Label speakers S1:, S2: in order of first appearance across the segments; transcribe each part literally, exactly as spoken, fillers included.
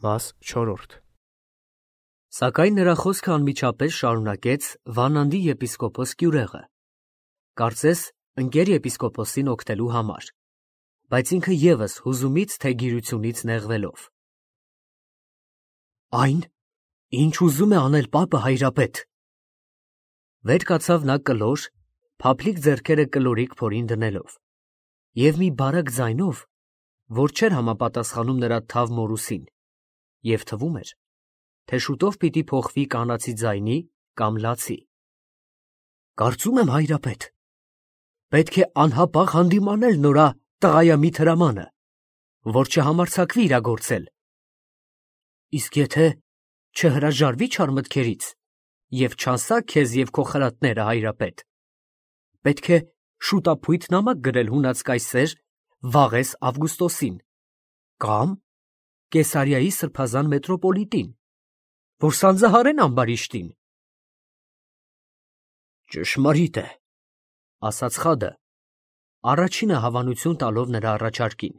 S1: Մաս չորրորդ Սակայն նրա խոսքը անմիջապես շարունակեց Վանանդի եպիսկոպոս Կյուրեղը, կարծես ընկեր եպիսկոպոսին օգնելու համար, բայց ինքը ևս հուզումից թե գիրությունից նեղվելով. Այն, ինչ ուզում է անել պապը հայրապետ։ Վեր կացավ նա կլոր, փափլիկ ձեռքերը կլորիկ փորին դնելով, և մի բարակ ձայնով, որ չէր համապատասխանում նրա թավ մորուսին, և թվում էր, թե շուտով պիտի փոխվի կանացի ձայնի կամ լացի. Կարծում եմ, հայրապետ, պետք է անհապաղ հանդիմանել նորա տղայամիտ հրամանը, որ չհամարձակվի իրագործել, իսկ եթե չհրաժարվի չար մտքերից և չանսա քեզ և քո խրատները, հայրապետ, պետք է շուտափույթ նամակ գրել հունած կայսեր Վաղես Ավգուստոսին կամ Կեսարիայի սրբազան մետրոպոլիտին, որ սանձահարեն ամբարիշտին։ Ճշմարիտ է, ասաց խադը, առաջինը հավանություն տալով նրա առաջարկին,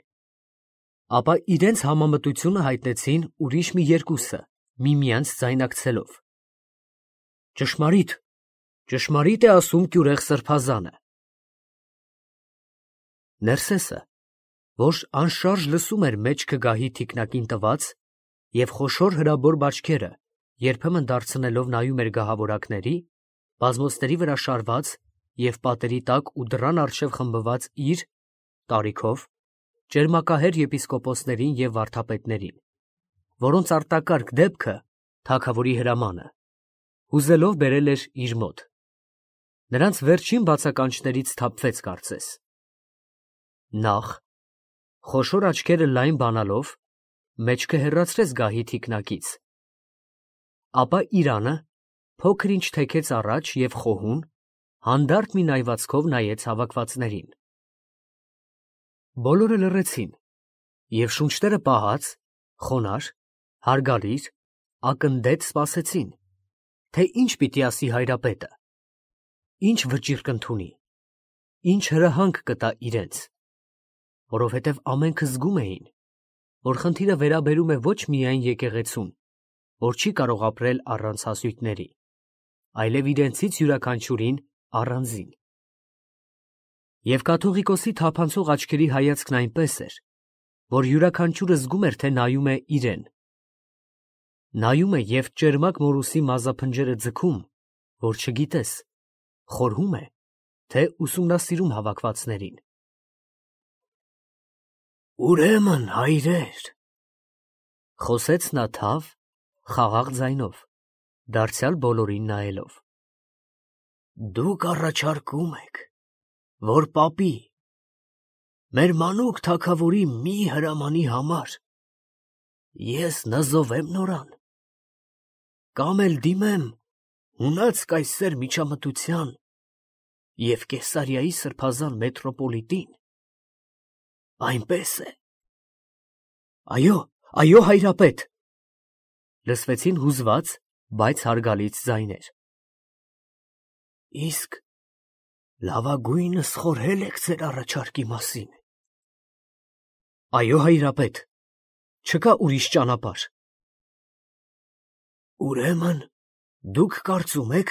S1: ապա իրենց համամտությունը հայտնեցին ուրիշ մի երկուսը, միմյանց ձայնակցելով. Ճշմարիտ, ճշմարիտ է ասում Կյուրեղ սրբազանը։ Ներսեսը, որ անշարժ լսում էր մեջքը գահի թիկնակին տված և խոշոր հրաբոր բաճկերը երբեմն դարձնելով նայում էր գահավորակների, բազմոցների վրա շարված և պատերի տակ ու դռան առջև խմբված իր տարիքով ճերմակահեր եպիսկոպոսներին և վարդապետներին, որոնց արտակարգ դեպքը, թագավորի հրամանը, հուզելով բերել էր իր մոտ, նրանց վերջին բացականչներից սթափվեց կարծես. Նախ, խոշոր աչքերը լայն բանալով, մեջքը հեռացրեց գահի թիկնակից, ապա իրանը փոքր ինչ թեքեց առաջ և խոհուն, հանդարտ մի նայվածքով նայեց հավաքվածներին։ Բոլորը լռեցին և շունչները պահած, խոնարհ, հարգալիր, ակնդեց սպասեցին, թե ինչ պիտի ասի հայրապետը, ինչ վճիռ կընդունի, ինչ հրահանգ կտա իրենց, որովհետև ամենքը զգում էին, որ խնդիրը վերաբերում է ոչ միայն եկեղեցուն, որ չի կարող ապրել առանց հասույթների, այլև իրենցից յուրաքանչյուրին առանձին։ Եվ կաթողիկոսի թափանցող աչքերի հայացքն այնպես էր, որ յուրաքանչյուրը զգում էր, թե նայում է իրեն։ Նայում է և ճերմակ մորուսի մազափնջերը ձգում, որ չգիտես, խորհում է, թե ուսումնասիրում հավաքվածներին։ Ուրեմն, հայրեր, խոսեց նա թավ, խաղաղ ձայնով, դարձյալ բոլորին նայելով, դուք առաջարկում եք, որ պապի, մեր մանուկ թագավորի մի հրամանի համար ես նզովեմ նորան, կամ էլ դիմեմ հունած կայսեր միջամտության և Կեսարիայի սրբազան մետրոպոլիտին, այնպես է։ Այո, այո, հայրապետ, լսվեցին հուզված, բայց հարգալից ձայներ։ Իսկ լավագույնս խորհել եք ձեր առաջարկի մասին։ Այո, հայրապետ, չկա ուրիշ ճանապարհ։ Ուրեմն դուք կարծում եք,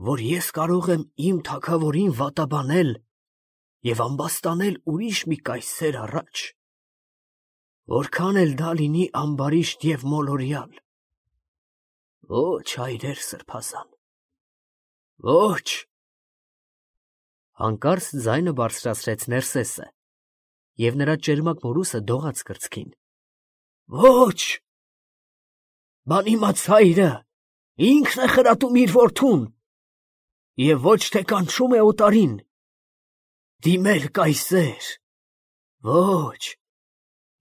S1: որ ես կարող եմ իմ թագավորին վատաբանել և ամբաստանել ուրիշ մի կայսեր առաջ, որքան էլ դա լինի ամբարիշտ և մոլորյալ։ Ոչ, հայրեր սրբազան, ոչ։ Հանկարծ ձայնը բարձրացրեց Ներսեսը, և նրա ճերմակ մորուսը դողաց կրծքին։ Ոչ, բանիմաց հայրը ինքն է խրատում իր որդուն և ոչ թե կանչում է օտարին, դիմել կայսեր, ոչ,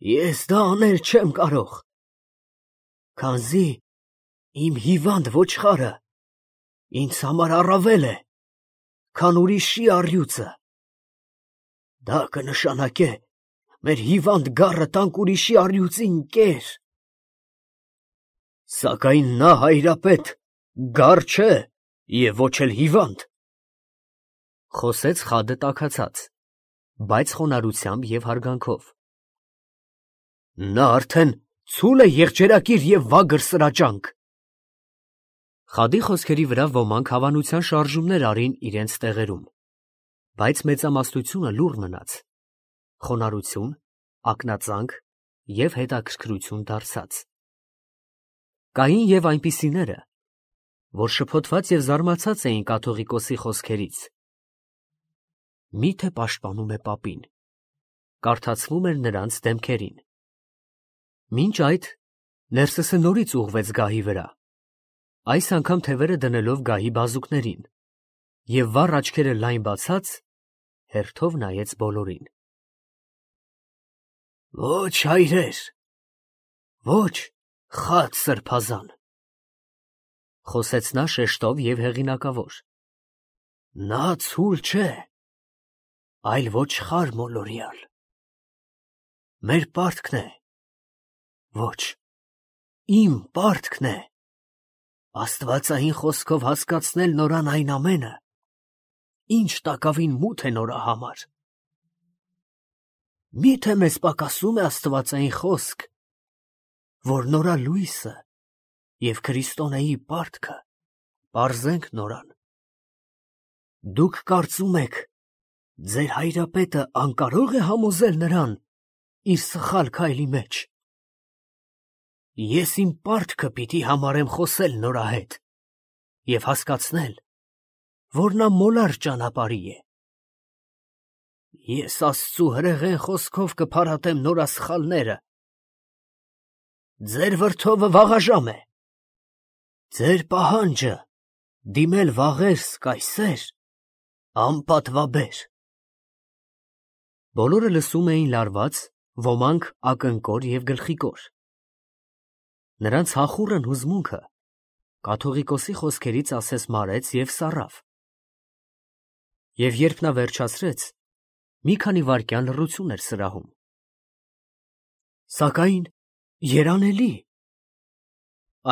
S1: ես դա անել չեմ կարող, քանզի իմ հիվանդ ոչխարը ինձ համար առավել է, քան ուրիշի առյուծը, դա կնշանակե մեր հիվանդ գառը տանք ուրիշի առյուծին կեր, սակայն նա, հայրապետ, գառ չէ և ոչ էլ հիվանդ, խոսեց խադը տաքացած, բայց խոնարհությամբ և հարգանքով։ Նա արդեն ցուլ է եղջերակիր եւ վագր սրաճանք։ Խադի խոսքերի վրա ոմանք հավանության շարժումներ արին իրենց տեղերում, բայց մեծամասնությունը լուռ մնաց, խոնարհություն, ակնածանք և հետաքրքրություն դարձած։ Կային և այնպիսիները, որ շփոթված և զարմացած էին կաթողիկոսի խոսքերից։ Մի՞թե պաշտպանում է պապին, կարդացվում էր նրանց դեմքերին։ Մինչ այդ Ներսեսը նորից ուղղվեց գահի վրա, այս անգամ թևերը դնելով գահի բազուկներին, և վառ աչքերը լայն բացած, հերթով նայեց բոլորին։ Ոչ, հայրեր, ոչ, խաց սրբազան, խոսեց նա շեշտով և հեղինակավոր, նա ցուլ չէ, այլ ոչխար մոլորյալ, մեր պարտքն է, ոչ, իմ պարտքն է, աստվածային խոսքով հասկացնել նորան այն ամենը, ինչ տակավին մութ է նորա համար։ Մի՞թե մեզ պակասում է աստվածային խոսք, որ նորա լույսը և քրիստոնեի պարտքը պարզենք նորան։ Դուք կարծում եք, ձեր հայրապետը անկարո՞ղ է համոզել նրան իր սխալ քայլի մեջ։ Ես իմ պարտքը պիտի համարեմ խոսել նորա հետ և հասկացնել, որ նա մոլար ճանապարհի է։ Ես Աստծու հրեղեն խոսքով կփարատեմ նորա սխալները։ Ձեր վրդովը վաղաժամ է, ձեր պահանջը դիմել վաղերս կայսեր, անպատվաբեր։ Բոլորը լսում էին լարված, ոմանք ակնկոր և գլխիկոր։ Նրանց հախուռն հուզմունքը կաթողիկոսի խոսքերից ասես մարեց և սառավ։ Եվ երբ նա վերջացրեց, մի քանի վայրկյան լռություն էր սրահում։ Սակայն երանելի…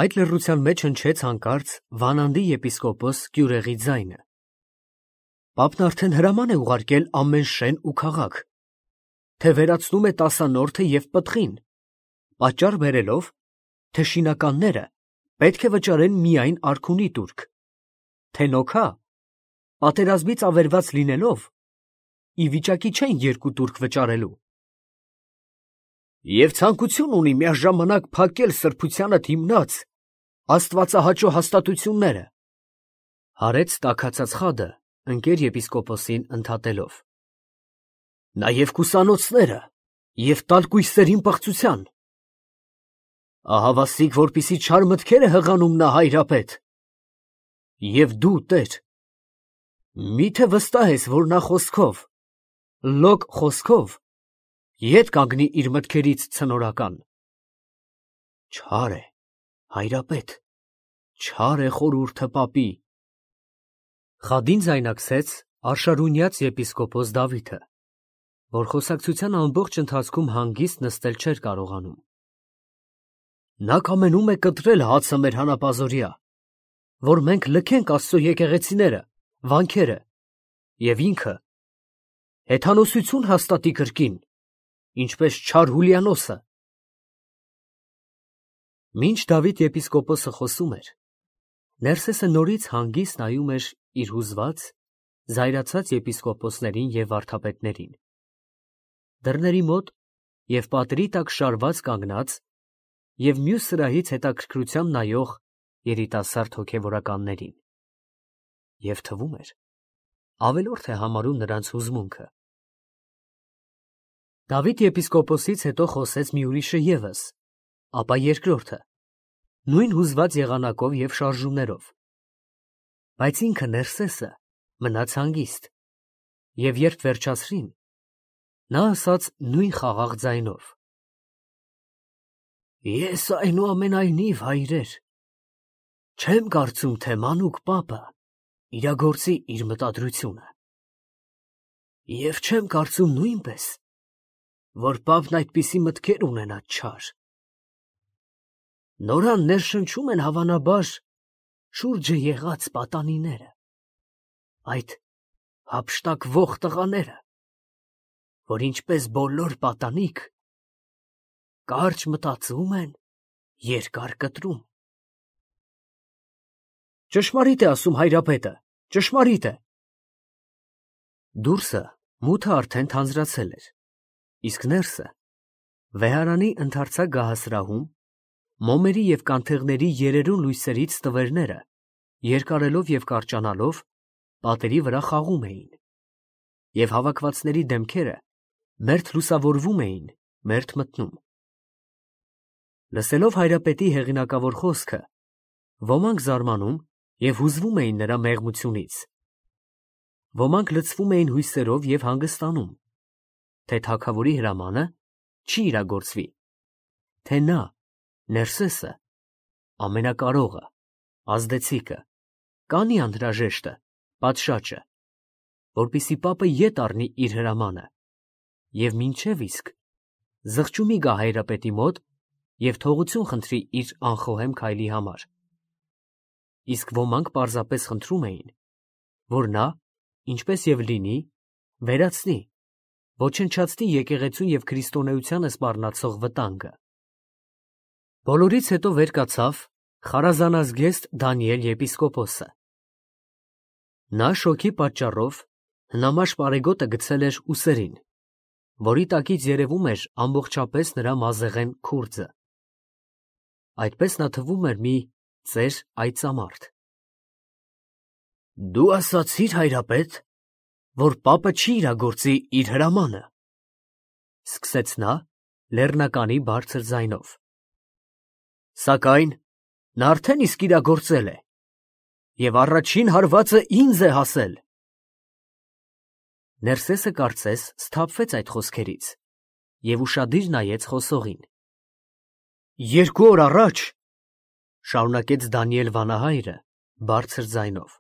S1: Այդ լռության մեջ հնչեց հանկարծ Վանանդի եպիսկոպոս Կյուրեղի ձայնը. Պապն արդեն հրաման է ուղարկել ամեն շեն ու քաղաք, թե վերացնում է տասանորդը և պտղին, պատճառ բերելով, թե շինականները պետք է վճարեն միայն արքունի տուրք, թե նոքա, պատերազմից ավերված լինելով, ի վիճակի չեն երկու տուրք վճարելու։ Եվ ցանկություն ունի միաժամանակ փակել սրբությանդ հիմնած աստվածահաճո հաստատությունները, հարեց տաքացած խադը ընկեր եպիսկոպոսին ընդհատելով, նաև կուսանոցները և տալ կույսերին պղծության։ Ահավասիկ, որպիսի չար մտքեր է հղանում նա հայրապետ։ Եվ դու, տեր, մի՞թե վստահ ես, որ նա խոսքով, լոկ խոսքով, ետ կանգնի իր մտքերից ցնորական։ Չար է, հայրապետ, չար է խորհուրդը պապի։ Խադին ձայնակցեց արշարունյաց եպիսկոպոս Դավիթը, որ խոսակցության ամբողջ ընթացքում հանգիստ նստել չէր կարողանում։ Նա կամենում է կտրել հացը մեր հանապազօրյա, որ մենք լքենք Աստծո եկեղեցիները, վանքերը, և ինքը հեթանոսություն հաստատի կրկին, ինչպես չար Հուլիանոսը։ Մինչ Դավիթ եպիսկոպոսը խոսում էր, Ներսեսը նորից հանգիստ նայում էր իր հուզված, զայրացած եպիսկոպոսներին և վարդապետներին։ Դռների մոտ և պատերի տակ շարված կանգնած և մյուս սրահից հետաքրքրությամբ նայող երիտասարդ հոգևորականներին, և թվում էր, ավելորդ է համարում նրանց հուզմունքը։ Դավիթ եպիսկոպոսից հետո խոսեց մի ուրիշը ևս, ապա երկրորդը, նույն հուզված եղանակով և շարժումներով, բայց ինքը Ներսեսը մնաց հանգիստ, և երբ վերջացրին, նա ասաց նույն խաղաղ ձայնով. Ես այնուամենայնիվ, հայրեր, չեմ կարծում, թե մանուկ պապը իրագործի իր մտադրությունը, և չեմ կարծում նույնպես, որ պապն այդպիսի մտքեր ունենա չար։ Նորան ներշնչում են հավանաբար շուրջը եղած պատանիները, այդ հափշտակվող տղաները, որ ինչպես բոլոր պատանիք, կարճ մտածում են, երկար կտրում։ Ճշմարիտ է ասում հայրապետը, ճշմարիտ է։ Դուրսը մութը արդեն թանձրացել էր, իսկ ներսը վեհարանի ընդարձակ գահասրահում մոմերի և կանթեղների երերուն լույսերից տվերները, երկարելով և կարճանալով, պատերի վրա խաղում էին, և հավաքվածների դեմքերը մերթ լուսավորվում էին, մերթ մթնում։ Լսելով հայրապետի հեղինակավոր խոսքը, ոմանք զարմանում և հուզվում էին նրա մեղմությունից, ոմանք լցվում էին հույսերով և հանգստանում, թե թագավորի հրամանը չի իրագործվի, թե նա, Ներսեսը, ամենակարողը, ազդեցիկը, կանի անհրաժեշտը, պատշաճը, որպեսզի պապը ետ առնի իր հրամանը և մինչև իսկ զղջումի գա հայրապետի մոտ և թողություն խնդրի իր անխոհեմ քայլի համար։ Իսկ ոմանք պարզապես խնդրում էին, որ նա, ինչպես և լինի, վերացնի, ոչնչացնի եկեղեցուն և քրիստոնեությանը սպառնացող վտանգը։ Բոլորից հետո վեր կացավ խարազանազգեստ Դանիել եպիսկոպոսը։ Նա շոգի պատճառով հնամաշ պարեգոտը գցել էր ուսերին, որի տակից երևում էր ամբողջապես նրա մազեղեն քուրձը։ Այդպես նա թվում էր մի ծեր այծամարդ։ Դու ասացի՞ր, հայրապետ, որ պապը չի իրագործի իր հրամանը, սկսեց նա լեռնականի բարձր ձայնով։ Սակայն նա արդեն իսկ իրագործել է, և առաջին հարվածը ինձ է հասել։ Ներսեսը կարծես սթափվեց այդ խոսքերից և ուշադիր նայեց խոսողին։ Երկու օր առաջ, շարունակեց Դանիել վանահայրը բարձր ձայնով,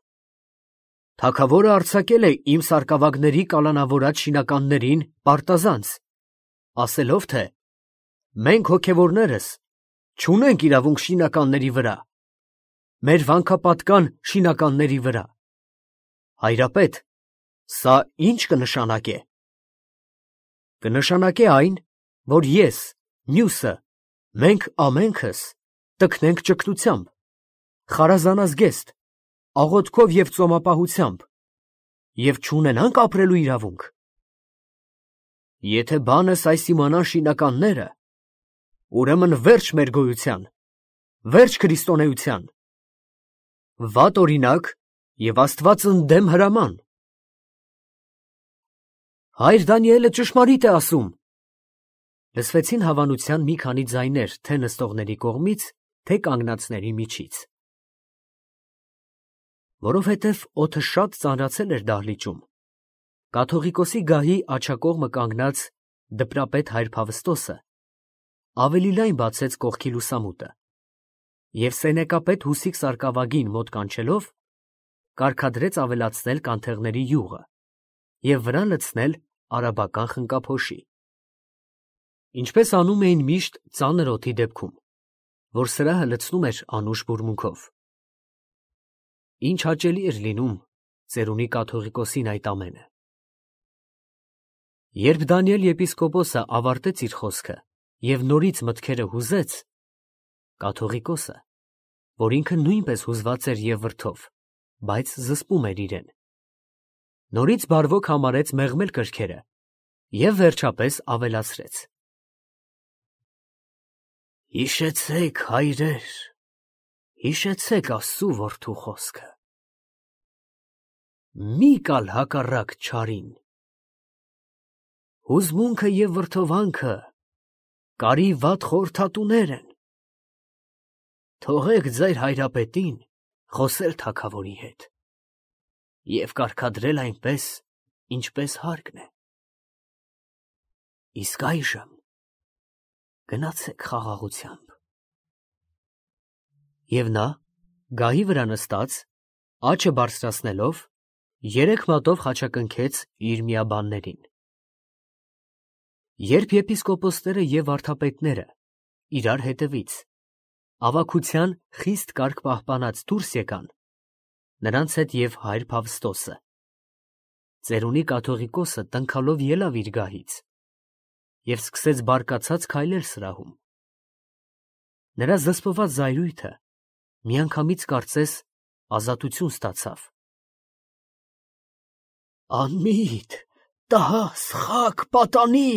S1: թագավորը արձակել է իմ սարկավագների կալանավորած շինականներին պարտազանց, ասելով, թե մենք հոգևորներս չունենք իրավունք շինականների վրա, մեր վանքապատկան շինականների վրա։ Հայրապետ, սա ի՞նչ կնշանակե։ Կնշանակե այն, որ ես, մյուսը, մենք ամենքս տքնենք ճգնությամբ, խարազանազգեստ, աղոթքով և ծոմապահությամբ և չունենանք ապրելու իրավունք։ Եթե բանս այս իմանան շինականները, ուրեմն վերջ մեր գոյության, վերջ քրիստոնեության, վատ օրինակ և Աստված ընդդեմ հրաման։ Հայր Դանիելը ճշմարիտ է ասում, լսվեցին հավանության մի քանի ձայներ թե նստողների կողմից, թե կանգնածների միջից։ Որովհետև օդը շատ ծանրացել էր դահլիճում, կաթողիկոսի գահի աջակողմը կանգնած դպրապետ հայր Փավստոսը ավելի լայն բացեց կողքի լուսամուտը և սենեկապետ Հուսիկ սարկավագին մոտ կանչելով, կարգադրեց ավելացնել կանթեղների յուղը և վրան լցնել արաբական խնկափոշի, ինչպես անում էին միշտ ծանր օդի դեպքում, որ սրահը լցնում էր անուշ բուրմունքով։ Ինչ հաճելի էր լինում ծերունի կաթողիկոսին այդ ամենը։ Երբ Դանիել եպիսկոպոսը ավարտեց իր խոսքը և նորից մտքերը հուզեց, կաթողիկոսը, որ ինքը նույնպես հուզված էր և վրդով, բայց զսպում էր իրեն, նորից բարվոք համարեց մեղմել կրքերը և վերջապես ավելացրեց. Հիշեցեք, հայրեր, հիշեցեք Աստծու որդու խոսքը. մի կալ հակառակ չարին, հուզմունքը և վրդովանքը կարի վատ խորհրդատուներ են, թողեք ձեր հայրապետին խոսել թագավորի հետ և կարգադրել այնպես, ինչպես հարկն է, իսկ այժմ գնացեք խաղաղությամբ։ Եվ նա, գահի վրա նստած, աջը բարձրացնելով, երեք մատով խաչակնքեց իր միաբաններին։ Երբ եպիսկոպոսները և վարդապետները իրար հետևից ավագության խիստ կարգ պահպանած դուրս եկան, նրանց հետ և հայր Փավստոսը, ծերունի կաթողիկոսը տնքալով ելավ իր գահից և սկսեց բարկացած քայլել սրահում, Նրա զսպված զայրույթը միանգամից կարծես ազատություն ստացավ։ Անմիտ, տահ, սխակ, պատանի։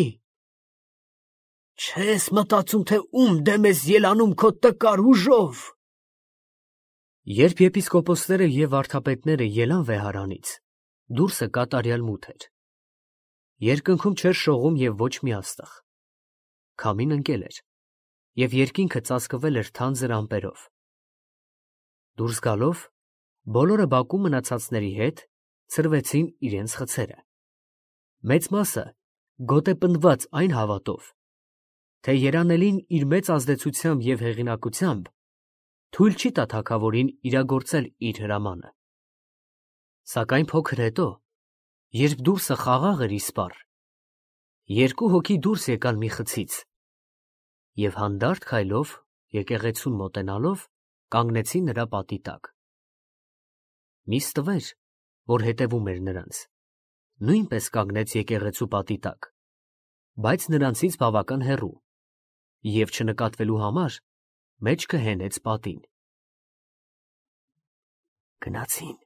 S1: Չես մտածում, թե ում դեմ ես ելանում քո տկար ուժով։ Երբ եպիսկոպոսները և վարդապետները ելան վեհարանից, դուրսը կատարյալ մութ էր։ Երկնքում չէր շողում և ոչ մի աստղ։ Քամին ընկել էր, և երկինքը ծածկվել էր թանձր ամպերով։ Դուրս գալով, բոլորը բակում մնացածների հետ ցրվեցին իրենց խցերը։ Մեծ մասը գոտեպնդված այն հավատով, թե երանելին իր մեծ ազդեցությամբ և հեղինակությամբ թույլ չի տա թագավորին իրագործել իր հրամանը։ Սակայն փոքր հետո, երբ դուրսը խաղաղ էր իսպառ, երկու հոգի դուրս եկան մի խցից և հանդարտ քայլով եկեղեցուն մոտենալով կանգնեցին նրա պատի տակ։ Մի ստվեր, որ հետևում էր նրանց, նույնպես կանգնեց եկեղեցու պատի տակ, բայց նրանցից բավական հեռու, և չնկատվելու համար մեջքը հենեց պատին։ Գնացին,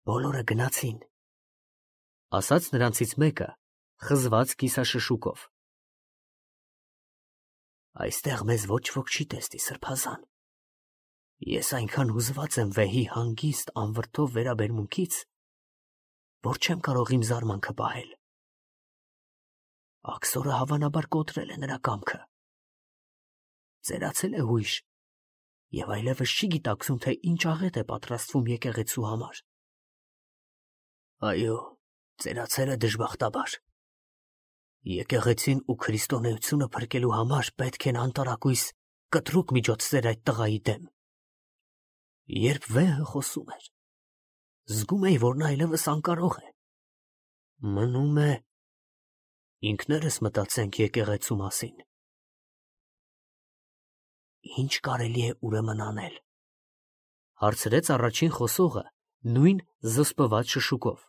S1: բոլորը գնացին, ասաց նրանցից մեկը խզված կիսաշշուկով։ Այստեղ մեզ ոչ ոք չի տեսնի, սրբազան։ Ես այնքան հուզված եմ վեհի հանգիստ անվրդով վերաբերմունքից, որ չեմ կարող իմ զարմանքը պահել։ Աքսորը հավանաբար կոտրել է նրա կամքը։ Ծերացել է հույժ և այլևս չի գիտակցում, թե ինչ աղետ է պատրաստվում եկեղեցու համար։ Այո, ծերացել է դժբախտաբար։ Եկեղեցին ու քրիստոնեությունը փրկելու համար պետք են անտարակույս կտրուկ միջոցներ այդ տղայի դեմ։ Երբ վեհը խոսում էր, զգում էի, որ նա այլևս անկարող է։ Մնում է ինքներս մտածենք եկեղեցու մասին։ Ինչ կարելի է ուրեմն անել, հարցրեց առաջին խոսողը նույն զսպված շշուկով։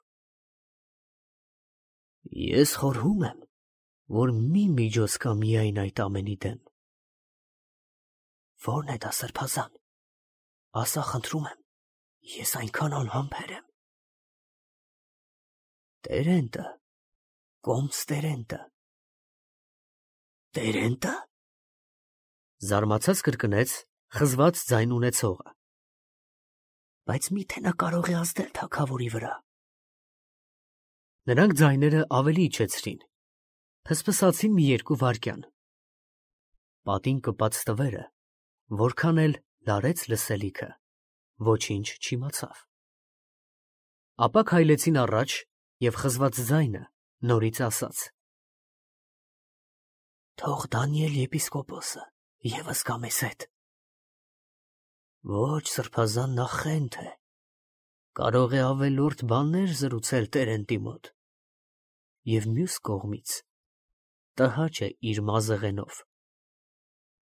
S1: Ես խորհում եմ, որ մի միջոց կա միայն այդ ամենի դեմ։ Ո՞րն է դա, սրբազան, ասա, խնդրում եմ, ես այնքան անհամբեր եմ։ Տերենտը, կոմս տերենտը։ Տերենտը։ Զարմացած կրկնեց խզված ձայն ունեցողը։ Բայց միթե նա կարող է ազդել թագավորի վրա։ Նրանք ձայները ավելի իջեցրին, փսփսացին մի երկու վայրկյան։ Պատին կպած ստվերը, որքան էլ լարեց լսելիքը, ոչինչ չիմացավ։ Ապա քայլեցին առաջ, և խզված ձայնը նորից ասաց. Թող Դանիել եպիսկոպոսը ևս գա մեզ հետ։ Ոչ, սրբազան, նա խենթ է, կարող է ավելորդ բաներ զրուցել տերենտի մոտ, և մյուս կողմից տհաճ է իր մազեղենով։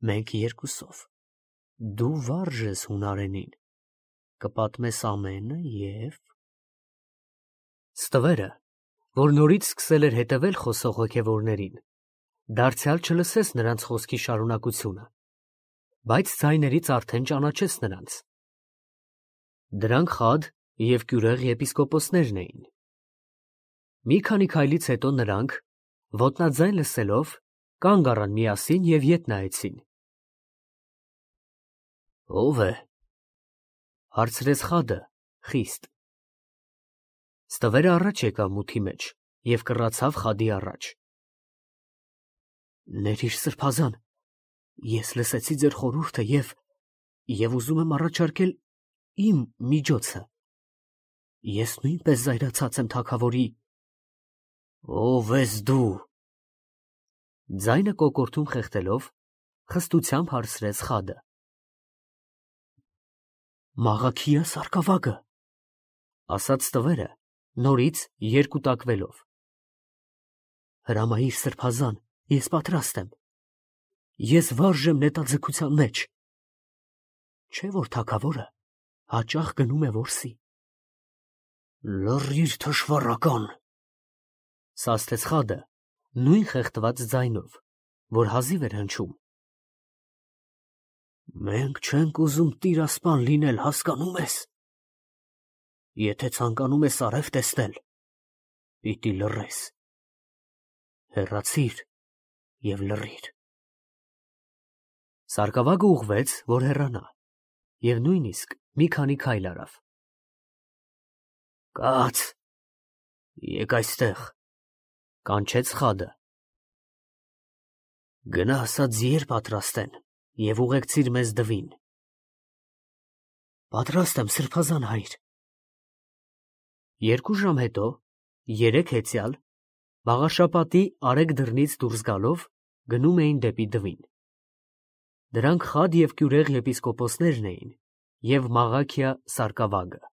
S1: Մենք երկուսով, դու վարժ ես հունարենին, կպատմես ամենը և… Ստվերը, որ նորից սկսել էր հետևել խոսող հոգևորներին, դարձյալ չլսեց նրանց խոսքի շարունակությունը, բայց ձայներից արդեն ճանաչեց նրանց։ Դրանք խադ և կյուրեղ եպիսկոպոսներն էին։ Մի քանի քայլից հետո նրանք, ոտնաձայն լսելով, կանգ առան միասին և ետ նայեցին։ Ո՞վ է, հարցրեց խադը խիստ։ Ստվերը առաջ եկավ մութի մեջ և կռացավ խադի առաջ։ Ներիր, սրբազան, ես լսեցի ձեր խորհուրդը և… և ուզում եմ առաջարկել իմ միջոցը։ Ես նույնպես զայրացած եմ թագավորի… Ո՞վ ես դու… Ձայնը կոկորդում խեղդելով, խստությամբ հարցրեց խադը։ Մաղաքիա սարկավագը, ասաց ստվերը, նորից երկուտակվելով։ Հրամայիր, սրբազան, ես պատրաստ եմ։ Ես վարժ եմ նետաձգության մեջ։ Չէ՞ որ թագավորը հաճախ գնում է որսի։ Լռիր, թշվառական, սաստեց խադը նույն խեղդված ձայնով, որ հազիվ էր հնչում։ Մենք չենք ուզում տիրասպան լինել, հասկանում ես։ Եթե ցանկանում ես արև տեսնել, պիտի լռես։ Հեռացիր և լռիր։ Սարգսակը ուղղվեց, որ հեռանա, և նույնիսկ մի քանի քայլ արավ։ Կաց, եկ այստեղ, կանչեց խադը։ Գնա ասա ձիեր պատրաստ են և ուղեկցիր մեզ դվին։ Պատրաստ եմ, սրբազան հայր։ Երկու ժամ հետո, երեկ հեծյալ, Բաղաշապատի արեգ դռնից դուրս գալով, գնում էին դեպի դվին։ Դրանք խադ և կյուրեղ եպիսկոպոսներն էին և Մաղաքիա սարկավագը։